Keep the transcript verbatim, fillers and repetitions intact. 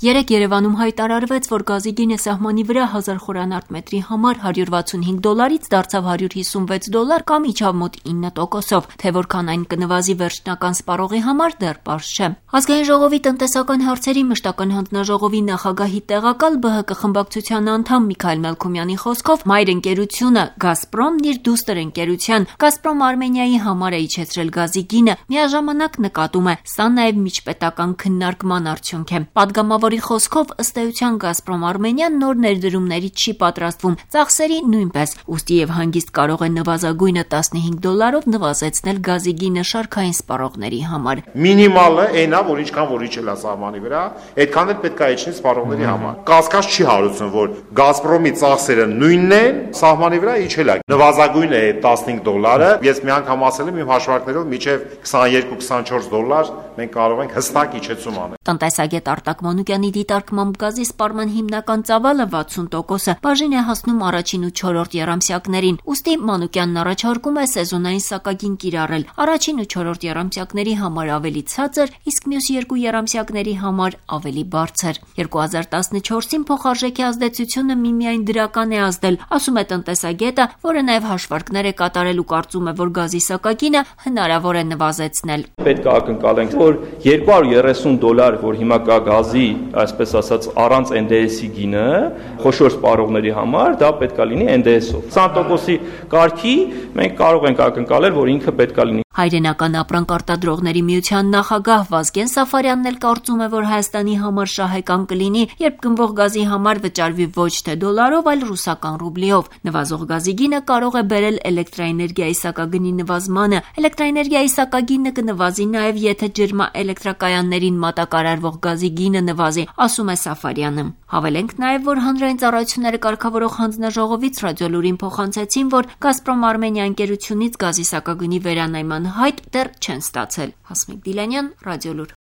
Երեկ Երևանում հայտարարվեց, որ գազի գինը սահմանի վրա հազար խորանարդ մետրի համար հարյուր վաթսունհինգ դոլարից դարձավ հարյուր հիսունվեց դոլար կամ իջավ մոտ ինը տոկոսով, թե որքան այն կնվազի վերջնական սպառողի համար դեռ պարզ չէ։ Ազգային ժողովի տնտեսական հարցերի մշտական հանձնաժողովի նախագահի տեղակալ ԲՀԿ խմբակցության անդամ Միքայել Մելքումյանի խոսքով մայր ընկերությունը Գազպրոմն իր դուստր ընկերության Գազպրոմ Արմենիայի համար է իջեցրել գազի գինը, միաժամանակ նկատում է, սա նաև միջպետական քննարկման արդյունք է։ Պատգամավորի խոսքով ըստ էության Գազպրոմ Արմենիան նոր ներդրումների չի պատրաստվում, ծախսերի նույնպես, ուստի եւ հանգիստ կարող է նվազագույնը տասնհինգ դոլարով նվազեցնել գազի գինը շարքային սպառողների համար։ Մինիմալը այնա, որ ինչքան որ իջել է սահմանի վրա, այդքան էլ պետք է իջնի սպառողների համար։ Կասկած չի հարուցում, որ Գազպրոմի ծախսերը նույնն են, սահմանի վրա իջել է։ Նվազագույնը է տասնհինգ դոլարը, ես մի անգամ ասել եմ իմ հաշվարկներով մինչև քսաներկու քսանչորս դոլար մենք կարող ենք հստակ իջեցում անել։ Տնտեսագետ Արտակ Մանուկյանի դիտարկմամբ գազի սպառման հիմնական ծավալը վաթսուն տոկոսը բաժին է հասնում առաջին ու չորրորդ եռամսյակներին, ուստի Մանուկյանն առաջարկում է սեզոնային սակագին կիրառել, առաջին ու չորրորդ եռամսյակների համար ավելի ցածր, իսկ մյուս երկու եռամսյակների համար ավելի բարձր։ երկու հազար տասնչորսին փոխարժեքի ազդեցությունը միմիայն դրական է ազդել, ասում է տնտեսագետը, որը նաև հաշվարկներ է կատարել ու կարծում է, որ գազի սակագինը հնարավոր է նվազեցնել։ Պետք է ակնկալենք, որ երկու հարյուր երեսուն դոլար, որ հիմա կա գազի, այսպես ասած, առանց N D S-ի գինը, խոշոր սպառողների համար, դա պետք է լինի N D S-ով։ քսան տոկոսի կարգի մենք կարող ենք ակնկալել, որ ինքը պետք է լինի։ Հայրենական ապրանք արտադրողների միության նախագահ Վազգեն Սաֆարյանն էլ կարծում է, որ Հայաստանի համար շահեկան կլինի, երբ գնվող գազի համար վճարվի ոչ թե դոլարով, այլ ռուսական ռուբլիով։ Նվազող գազի գինը կարող է բերել էլեկտրաէներգիայի սակագնի նվազմանը։ Էլեկտրաէներգիայի սակագինը կնվազի նաև, եթե ջրմաէլեկտրակայաններին մատակարարվող գազի գինը նվազի, ասում է Սաֆարյանը։ Հավելենք նաև, որ հանրային ծառայությունները կարգավորող հանձնաժողովից Ռադիոլուրին փոխանցեցին, որ Գազպրոմ Արմենիա ընկերությունից գազի սակագնի վերանայման հայտ դեռ չեն ստացել։ Հասմիկ Դիլանյան, Ռադիոլուր։